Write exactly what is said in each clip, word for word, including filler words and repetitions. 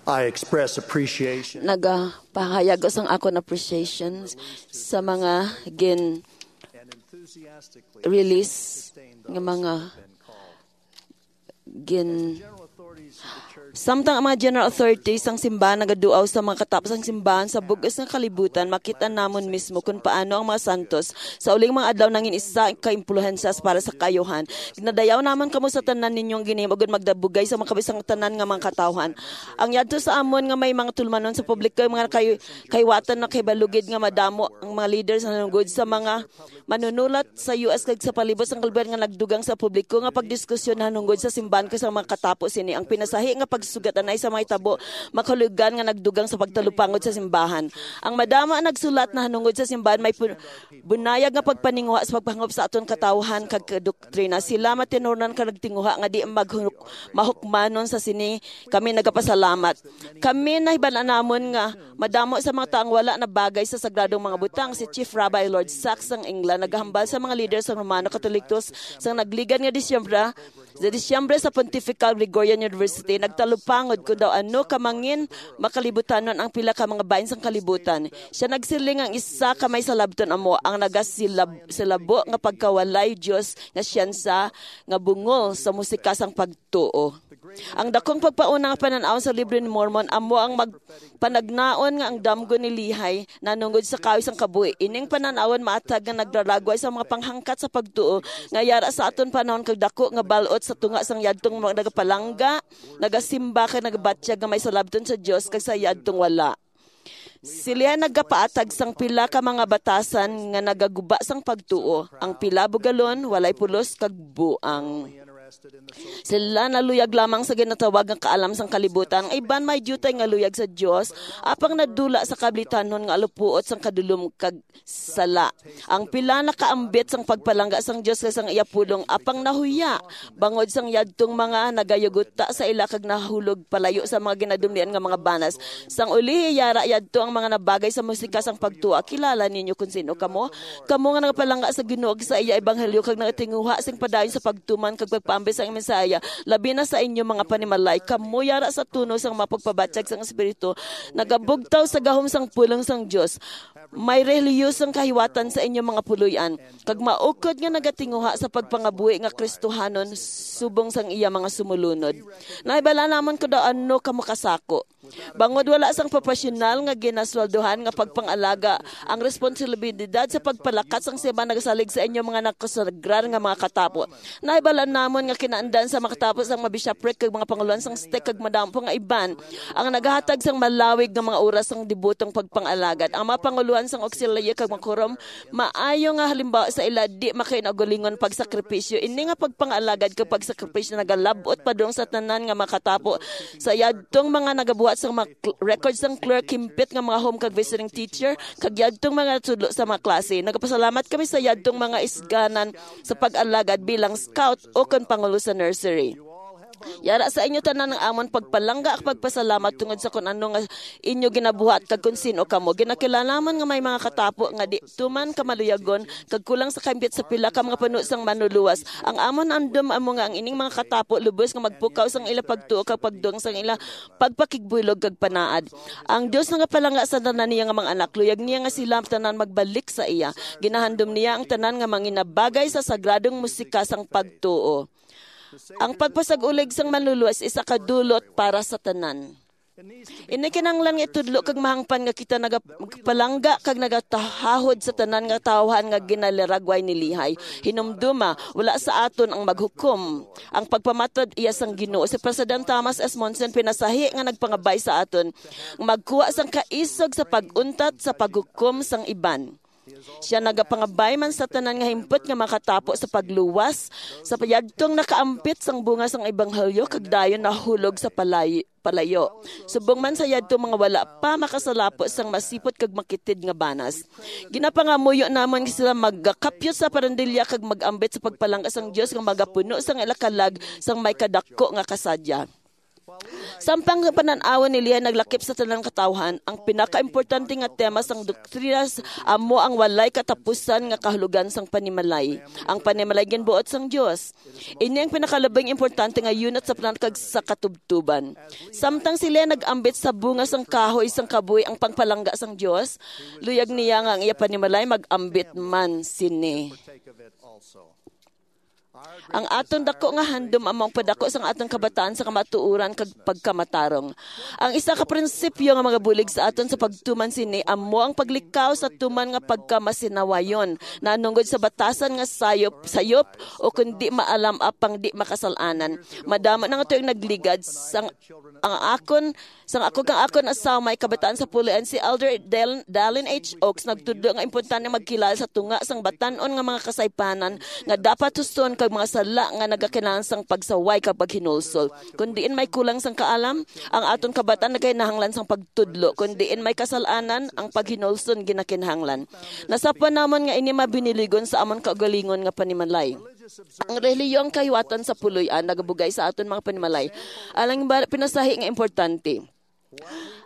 I express appreciation nagapahayag ko sang akon appreciation sa mga gin-release nga mga gin samtang ang mga general authorities sang simbahan nagaduaw sa mga katapos sang simbahan sa bug-os nga kalibutan, makita namon mismo kon paano ang mga santos sa uling mga adlaw nangin isa ka impluhensya para sa kaayuhan. Ginadayaw namon kamo sa tanan ninyong ginhimo ug magdabugay sa makabisang tanan nga mga katawhan. Ang yadto sa amon nga may mga tulmanon sa publiko, mga kay, kahiwatan na kay balugid nga madamo ang mga leaders nga nangugod sa mga manunulat sa U S kag sa palibot sang kalibutan nga nagdugang sa publiko nga pagdiskusyon nahanungod sa simbahan kag sa mga katapo sini. Ang pinasahi nga pagsugat anay sa mga hitabo makahulugan nga nagdugang sa pagtalupangod sa simbahan. Ang madamo ang nagsulat nahanungod sa simbahan may pun- bunayag nga pagpaninguha sa pagpahangop sa aton katawhan kag doktrina. Sila matinunan ka nagtinguha nga di maghunok- mahukmanon sa sini. Kami nagapasalamat. Kami nahibalaan namon nga madamo sa mga taong wala nabagay sa sagradong mga butang. Si Chief Rabbi Lord Sacks sang England nagahambal sa mga leader sang Romano Katolikos sang nagligad nga Disyembre, sa Disyembre sa Pontifical Gregorian University, nagtalupangod kung daw ano ka mangin makalibutanon ang pila ka mga bahin sang kalibutan. Siya nagsiling ang isa ka may salabton amo ang nagasilab-, silabo nga pagkawalay Dios nga siyensa nga bungol sa musika sang pagtuo. Ang dakong pagpauna nga panan-aw sa Libro ni Mormon amo ang magpanagnaon nga ang damgo ni Lehi nanungod sa kahoy sang kabuhi. Ining panan-awon maathag nga nagraragway sa mga panghangkat sa pagtuo nga yara sa aton panahon kag dako nga bal-ot sa tunga sang yadtong mga nagapalangga, nagasimba kag nagabatyag nga may salabton sa Dios kag sa yadtong wala. Sila nagapaatag sang pila ka mga batasan nga nagaguba sang pagtuo. Ang pila bugalon, walay pulos kag buang. Sila naluyag lamang sa ginatawag nga kaalam sang kalibutan. Ang iban may diutay nga luyag sa Dios, apang nadula sa kablitanon nga alupuot sang kadulom kag sala. Ang pila nakaambit sang pagpalangga sang Dios kag sang iya pulong, apang nahuya bangod sang yadtong mga nagayuguta sa ila kag nahulog palayo sa mga ginadumlian nga mga banas. Sang ulihi, yara yadto ang mga nabagay sa musika sang pagtuo. Kilala ninyo kon sin-o kamo? Kamo nga nagapalangga sa Ginoo kag sa iya ebanghelyo kag nagatinguha sing padayon sa pagtuman kag pagpaambit sang mensahe, labi na sa inyo mga panimalay. Kamo yara sa tono sang mga pagpabatyag sang Espiritu, nagabugtaw sa gahom sang pulong sang Dios. May relihiyosong kahiwatan sa inyo mga puloy-an, kag maukod nga nagatinguha sa pagpangabuhi nga Kristohanon subong sang iya mga sumulunod. Nahibala namon kon daw ano kamo kasako. Bangod wala sang propesyonal nga ginasweldohan nga pagpangalaga, ang responsibilidad sa pagpalakat sang simbahan nagasalig sa inyo mga nakasagrar nga mga katapo. Nahibal-an namon nga kinaandan sa makatapos ang mga bishopric kag mga pangulohan sang stake kag madamo pa nga iban ang nagahatag sang malawig nga mga oras sang dibutong pagpangalaga. Ang mga pangulohan sang auxiliary kag mga quorum maayo nga halimbawa sa ila di makainaugalingon pagsakripisyo. Ini nga pagpangalaga kag pagsakripisyo nagalab-ot padung sa tanan nga makatapo sa yadtong mga nagabuhat sang mga cl- record sang clerk, himpit nga mga home kag visiting teacher, kag yadtong mga tudlo sa mga klase. Nagapasalamat kami sa yadtong mga isganan sa pag-alagad bilang scout o kon pangulo sa nursery. Yara sa inyo tanan ang amon pagpalangga kag pagpasalamat tungod sa kon ano nga inyo ginabuhat kag kon sin-o kamo. Ginakilalaman nga may mga katapo nga di tuman kamaluyagon kag kulang sa kaimpit sa pila ka mga puno sang manluluwas. Ang amon andom amo nga ang ining mga katapo lubos nga magpukaw sang ila pagtuo kag pagdugang sang ila pagpakigbuylog kag panaad. Ang Dios nagapalangga sa tanan niya nga mga anak. Luyag niya nga sila tanan magbalik sa iya. Ginahandom niya ang tanan nga manginabagay sa sagradong musika sang pagtuo. Ang pagpasag-ulig sang manluluwas isa ka dulot para sa tanan. Ini kinahanglan nga itudlo kag mahangpan nga kita nagapalangga kag nagatahahod sa tanan nga tawhan nga ginaliragway ni Lihay. Hinumduma, wala sa aton ang maghukom. Ang pagpamatod iya sang Ginoo. Si President Thomas S. Monson pinasahi nga nagpangabay sa aton nga magkuha sang kaisog sa pag-untat sa paghukom sang iban. Siya nagapangabay man sa tanan nga himpot nga makatapo sa pagluwas sa payagtong nakaampit sang bunga sang ebanghelyo kag dayon nahulog sa palay-, palayo. Subong man sa yadto mga wala pa makasalapo sang masipot kag makitid nga banas. Ginapangamuyo namon nga sila magakapyot sa parandilya kag mag-ambit sa pagpalangga sang Dios nga magapuno sang ila kalag sang may kadako nga kasadya. Samtang ang panan-awon ni Lehi naglakip sa tanan katawhan, ang pinakaimportante nga tema sang doktrinas amo ang walay katapusan nga kahulogan sang panimalay, ang panimalay ginbuot sang Dios. Ini ang pinakalabing importante nga yunat sa plan kag sa katubtuban. Samtang si Lehi nag-ambit sa bunga sang kahoy sang kabuhi ang pagpalangga sang Dios, luyag niya nga ang iya panimalay mag-ambit man sini. Ang aton dako nga handom amo ang padako sang aton kabataan sa kamatuoran kag pagkamatarong. Ang isa ka prinsipyo nga magabulig sa aton sa pagtuman sini amo ang paglikaw sa tuman nga pagkamasinawayon, nanungod sa batasan nga sayop, sayop o kundi maalam apang di makasal-anan. Madamo na nga tuig nagligad sang ang akon Sang ako kang akon asawa may kabataan sa puloy-an, si Elder Dal-, Dallin H. Oaks nagtudlo nga importante magkilala sa tunga sang batan-on nga mga kasaypanan nga dapat hustoon kag mga sala nga nagakinahanglan sang pagsaway kag paghinulsol. Kon diin may kulang sang kaalam, ang aton kabataan nagakinahanglan sang pagtudlo. Kon diin may kasal-anan, ang paghinulsol ginakinahanglan. Nasapwan namon nga ini mabiniligon sa amon kaugalingon nga panimalay. Ang relihiyon kahiwatan sa puloy-an nagabugay sa aton mga panimalay. Alang ba pinasahi nga importante.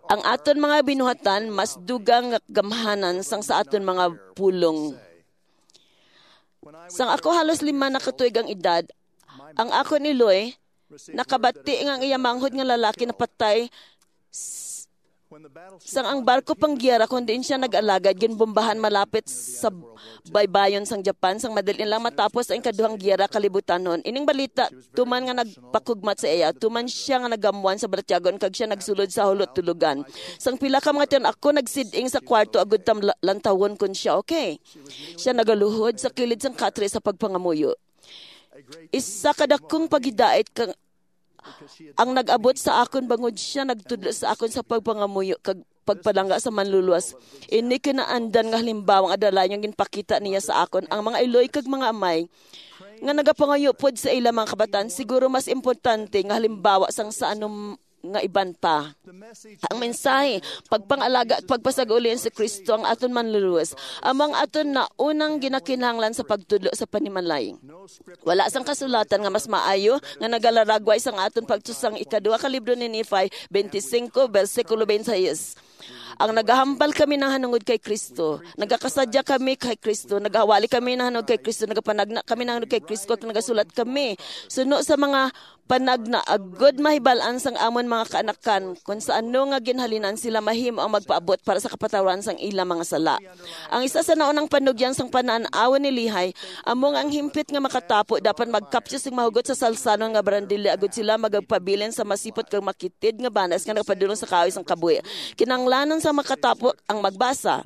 Ang aton mga binuhatan mas dugang nga gamhanan sang sa aton mga pulong. Sang ako halos lima na ka tuig ang edad, ang akon iloy nakabati nga ang iya manghod nga lalaki napatay s-, sang ang barko panggiyera kon diin siya nag-alagad ginbombahan malapit sa baybayon sang Japan. Sang madali lang matapos ang ikaduhang giyera kalibutanhon. Ining balita tuman nga nagpakugmat sa iya, tuman siya nga nagamuan sa balatyagon kag siya nagsulod sa hulot tulugan. Sang pila ka mga tuig ako nagsid-ing sa kwarto agud tam la-, lantawon kon siya okay. Siya nagaluhod sa kilid sang katre sa pagpangamuyo. Isa ka dakong paghidait kang ang nag-abot sa akon bangod siya nagtudlo sa akon sa pagpangamuyo kag pagpalangga sa Manluluwas. Ini kinaandan nga halimbawa nga dalayang ginpakita niya sa akon ang mga iloy kag mga amay nga nagapangayo pod sa ila mga kabataan, siguro mas importante nga halimbawa sang sa anom nga iban pa. Ang mensahe, pagpangalaga at pagpasag-uli ni Kristo ang aton Manluluwas, amo ang aton naunang ginakinahanglan sa pagtudlo sa panimalay. Wala sang kasulatan nga mas maayo nga nagalaragway sang aton pagtusang ikaduha ka libro ni Nephi twenty-five, bersikulo twenty-six. Ang nagahambal kami nahanungod kay Kristo, nagakasadya kami kay Kristo, nagahawali kami nahanungod kay Kristo, nagapanagna kami nahanungod kay Kristo, kag nagasulat kami suno sa mga panagna agud mahibal-an sang amon mga kaanakan kon sa ano nga ginhalinan sila mahimo ang magpaabot para sa kapatawaran sang ila mga sala. Ang isa sa naunang panugyan sang panan-awon ni Lehi amo nga ang himpit nga makatapo dapat magkapsyo sing mahugot sa salsanon nga barandilya agud sila magpabilin sa masipot kag makitid nga banas nga nagapadulong sa kahoy sang kabuhi. Kinahanglanon sa makatapo ang magbasa,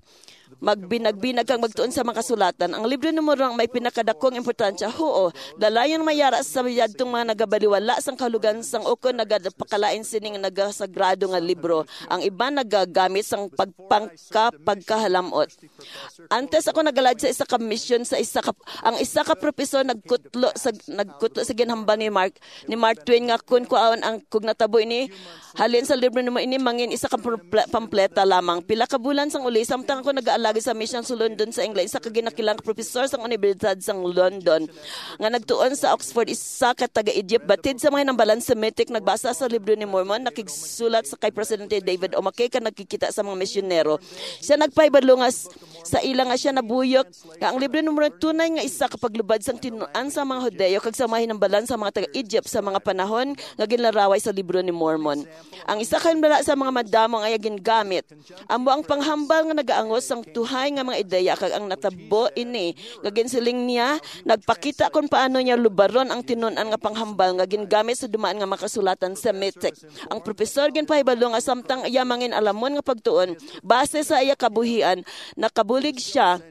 magbinagbinag kag magtuon sa mga kasulatan. Ang Libro ni Mormon may pinakadakong importansya. Huo, dalayon may yara sa yadtong mga nagabaliwala sang kahulugan sang ukon nagapakalain sining nagasagrado nga libro. Ang iban nagagamit sang pagpangka pagkahalamot. Antes ako nagalayad sa isa ka misyon sa isa ka ang isa ka propesor nagkutlo sa nagkutlo sa ginhambal ni Mark ni Mark Twain nga kun kuhaon ang kung natabo ini halin sa libro nimo ini mangin isa ka pample- pampleta lamang. Pila ka bulan sang uli, samtang ako nagaalagad sa misyon sa London sa England, isa ka ginakilang profesor sang Universidad sang London nga nagtuon sa Oxford, isa ka taga-Egypt, batid sa mga hinambalan Semitic, nagbasa sa libro ni Mormon, nakigsulat sa kay Presidente David O. McKay kag nagkikita sa mga misyonero. Siya nagpahibalo nga s- sa ila nga siya nabuyok nga ang libro ni Mormon tunay nga isa ka paglubad sang tinuan sa mga Hudiyo kag sa mga hinambalan sa mga taga-Egypt sa mga panahon nga ginlaraway sa libro ni Mormon. Ang isa ka hinambala sa mga madamo nga iya gingamit amo ang panghambal nga nagaangos sang tuhay nga mga ideya kag ang natabo ini nga ginsiling niya nagpakita kon paano niya lubaron ang tinun-an nga panghambal nga gingamit sa dumaan nga mga kasulatan Semitic. Ang profesor ginpahibalo nga samtang iya mangin alamon nga pagtuon base sa iya kabuhian, nakabulig siya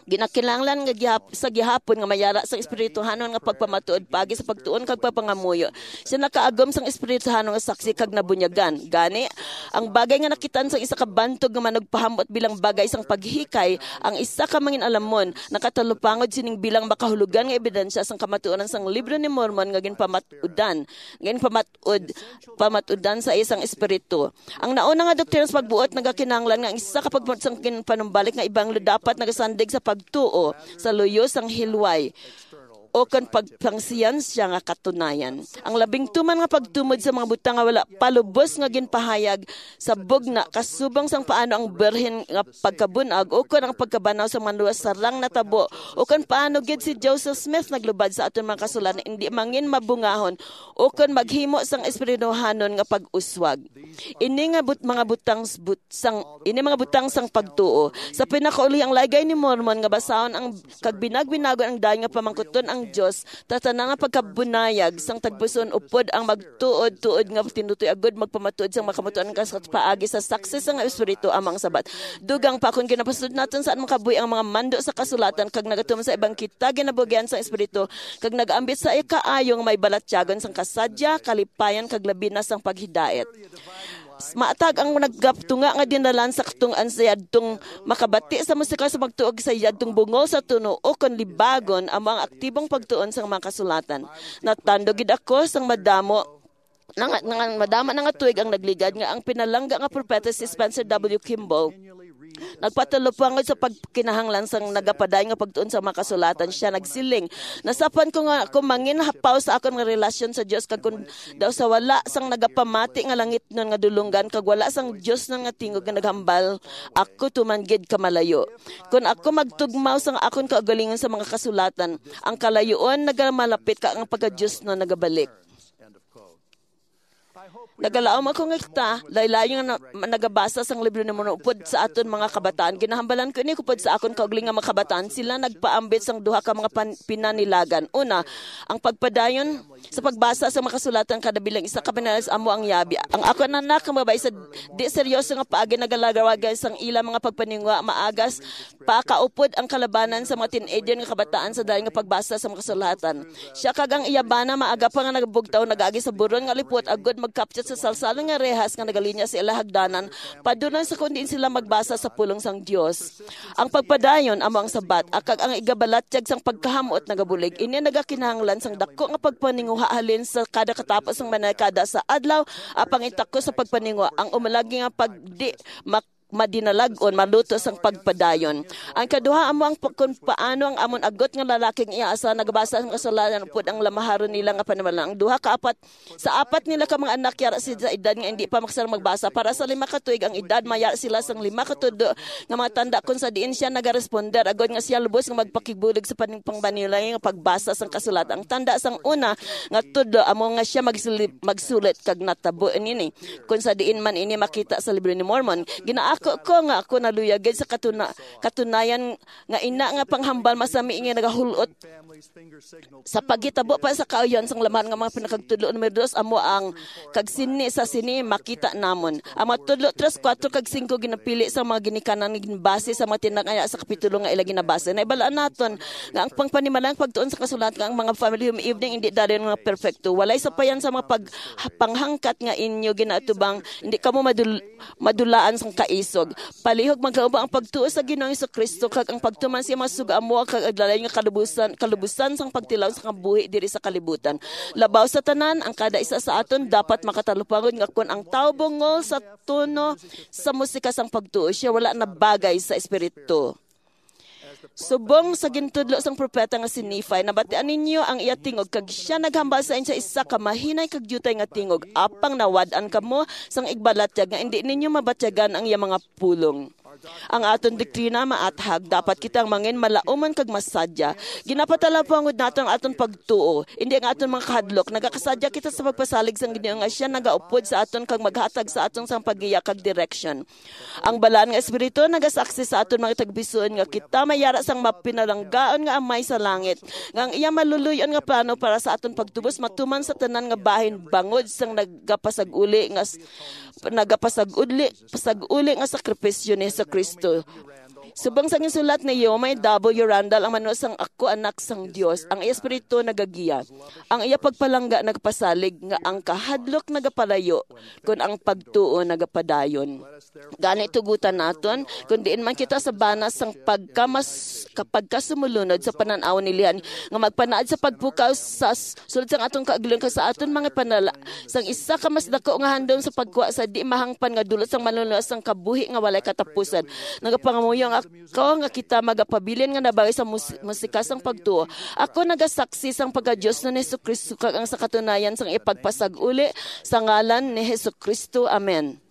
ginakinahanglan nga gihap, sa gihapon nga mayara sang espirituhanon nga pagpamatuod pagi sa pagtuon kag pagpangamuyo. Siya nakaagom sang espirituhanon nga saksi kag nabunyagan. Gani, ang bagay nga nakitaan sang isa ka bantog nga manugpahamot bilang bagay sang paghikay, ang isa ka mangin-alamon nakatalupangod sining bilang makahulugan nga ebidensya sang kamatuoran sang Libro ni Mormon nga ginpamat-udan, nga ginpamat-ud, pamatudan sa isang espiritu. Ang nauna nga doktrina sa pagbuot nagakinahanglan nga ang isa ka pagbuot sang ginpanumbalik nga ebanghelyo dapat nagasandig sa pagtuo sa luyo sang hilway. o kon pagpangsiyansya nga katunayan. Ang labing tuman nga pagtumod sa mga butang nga wala pa lubos nga ginpahayag sa bugna, kasubong sang paano ang birhen nga pagkabun-ag o kon ang pagkabanaw sa mga luwas sarang natabo, o kon paano gid si Joseph Smith naglubad sa aton mga kasulatan, indi mangin mabungahon o kon maghimo sang espirituhanon nga pag-uswag. Ini nga but-, mga butang s-, but-, sang ini mga butang sang pagtuo. Sa pinakauli, ang Laygay ni Mormon nga basahon ang kag binagbinagon ang dayon nga pamangkuton ang Dios, tatanan nga pagkabunayag sang tagpuson upod ang magtuod-tuod nga tinutoy agud magpamatuod sang makamutuan ka sa paagi sa saksi sang Espiritu amang sabat. Dugang pa, kung ginapasunod naton sa makabuhi ang mga mando sa kasulatan kag nagatuman sa ibang kita ginabugian sang Espiritu kag nagaambit sa ikaayo nga may balatyagon sang kasadya, kalipayan kag labi na sang paghidait. Maatag ang nagaptunga nga dinalan sa katungkuan sa yadtong makabati sa musika sa pagtuog sa yadtong bungol sa tuno o kon libagon amo ang aktibong pagtuon sa mga kasulatan. Natandog gid ako sang madamo nga, nga madama na nga tuig ang nagligad nga ang pinalangga nga propeta si Spencer W. Kimball nagpatalupangod sa pagkinahanglan sang nagapadayon nga pagtuon sa mga kasulatan. Siya nagsiling, "Nasapwan ko nga ako mangin hapaw sa akon nga relasyon sa Dios, kag kon daw sa wala sang nagapamati nga langitnon nga dulonggan kag wala sang Dios nga tingog nga naghambal, ako tuman gid kamalayo. Kon ako magtugmaw sang akon kaugalingon sa mga kasulatan, ang kalayuon nagamalapit kag ang pagka-Dios na nagabalik." Nagalaom ako nga kita, laylayon nga na-, nagabasa sang libro ni Mormon upod sa aton mga kabataan. Ginahambalan ko ini upod sa akon kaugalingon nga mga kabataan. Sila nagpaambit sang duha ka mga pan-, pinanilagan. Una, ang pagpadayon sa pagbasa sa mga kasulatan kada bilang isa ka pinalas amo ang yabi. Ang akon anak nga babayi sa di seryoso nga paagi nagalagawagay sang ila mga pagpaninguha maagas pakaupod ang kalabanan sa mga teenager nga kabataan sa dayon nga pagbasa sa mga kasulatan. Siya kag ang iya bana maaga pa nga nagabugtaw nagaagi sa buron nga lipot agud magkapyot sa salsalon nga rehas nga nagalinya sa ila hagdanan padulong sa kon diin sila magbasa sa pulong sang Dios. Ang pagpadayon amo ang sabat, kag ang igabalatyag sang pagkahamot nagabulig. Ini nagakinahanglan sang dako nga pagpaninguha halin sa kada katapos sang mga dekada sa adlaw, apang itako sa pagpaninguha ang umalagi nga pagdi mak-, madinalag-on maluto sang pagpadayon. Ang kaduha amo ang pa-, kung paano ang amon agot nga lalaki nga iya asawa nagabasa sang kasulanan upod ang lamaharon nila nga panimalay. Ang duha ka apat Sa apat nila ka mga anak, yara sila sa edad nga indi pa makasarang magbasa. Para sa lima ka tuig ang edad, mayara sila sang lima ka tudlo nga mga tanda, kon sa diin siya nagaresponder agod nga siya lubos nga magpakigbulig sa paning-, pangbanilay nga pagbasa sang kasulatan. Ang tanda sang una nga tudlo amo nga siya magsuli-, magsulat kag natabo nini. Kon sa diin man ini makita sa Libro ni Mormon, ginaako ko nga ako naluyag gid sa katuna-, katunayan nga ina nga panghambal masami nga nagahulot sa paghitabo pa sa kaayuhan sang laman nga mga pinakagtudlo. Numero dos, amo ang kag sini sa sini makita namon. Ang mga tudlo tres, kuwatro, kag singko ginapili sa mga ginikanan nga ginbase sa mga tinagaya sa kapitulo nga ila ginabasa. Naibalaan naton nga ang pangpanimalang pagtuon sa kasulat nga ang mga family home evening hindi dayon nga perpekto. Walay sapayan sa mga pag-, panghangkat nga inyo ginatubang, hindi kamo madul-, madulaan sang kaisog. Palihog magkaubo ang pagtuo sa Ginoong Jesu-Cristo kag ang pagtuman sa iyang mga sugo amo kag aglalay nga kalubusan, kalubusan sang pagtilaw sa kabuhi diri sa kalibutan. Labaw sa tanan, ang kada isa sa aton dapat makatalupangod nga kon ang tawo bungol sa tono sa musika sang pagtuo, siya wala nabagay sa espiritu. Subong sa gintudlo sang propeta nga si Nephi, nabatian ninyo ang iya tingog, kag siya naghambal sa inyo sa isa ka mahinay kag diutay nga tingog, apang nawad-an kamo sang igbalatyag nga indi ninyo mabatyagan ang iya mga pulong. Ang aton doktrina maathag, dapat kita ang mangin malaumon kag masadya. Ginapatalapangod nato ang aton pagtuo, indi ang aton mga kahadlok. Nagakasadya kita sa pagpasalig sang Ginoo nga siya nagaupod sa aton kag maghatag sa aton sang paggiya kag direksyon. Ang Balaan nga Espiritu nagasaksi sa aton mga tagbisuon nga kita mayara sang mapinalanggaon nga Amay sa langit, nga ang iya maluluy-on nga plano para sa aton pagtubos matuman sa tanan nga bahin bangod sang nagapasag-uli nga s-, nagapasag-uli, pasag-uli nga sakripisyo ni Jesu-Cristo. Subong sa ginsulat ni Yomay W. Randall, ang manuno sang Ako Anak sang Dios, ang iya espiritu nagagiya, ang iya pagpalangga nagapasalig, nga ang kahadlok nagapalayo, kun ang pagtuo nagapadayon. Gani, tugutan naton, kun diin man kita sa bana sang pagkamas-, ka-, pagkasumulunod sa panan-aw ni Lihan, nga magpanaad sa pagpukaw sa s-, sulod sang aton kaagluhan kag sa aton mga panala, sang isa ka mas dako nga handom sa pagkuha sa di mahangpan nga dulot sang manluluwas sang kabuhi nga walay katapusan. Nagapangamuyo ang Kaw nga kita magapabilin nga nabawi sa mus- musika sang pagtuo. Ako nagasaksi sang pagka-Dios ni Jesu-Cristo kag ang sa katunayan sang ipagpasag-uli sa ngalan ni Jesu-Cristo. Amen.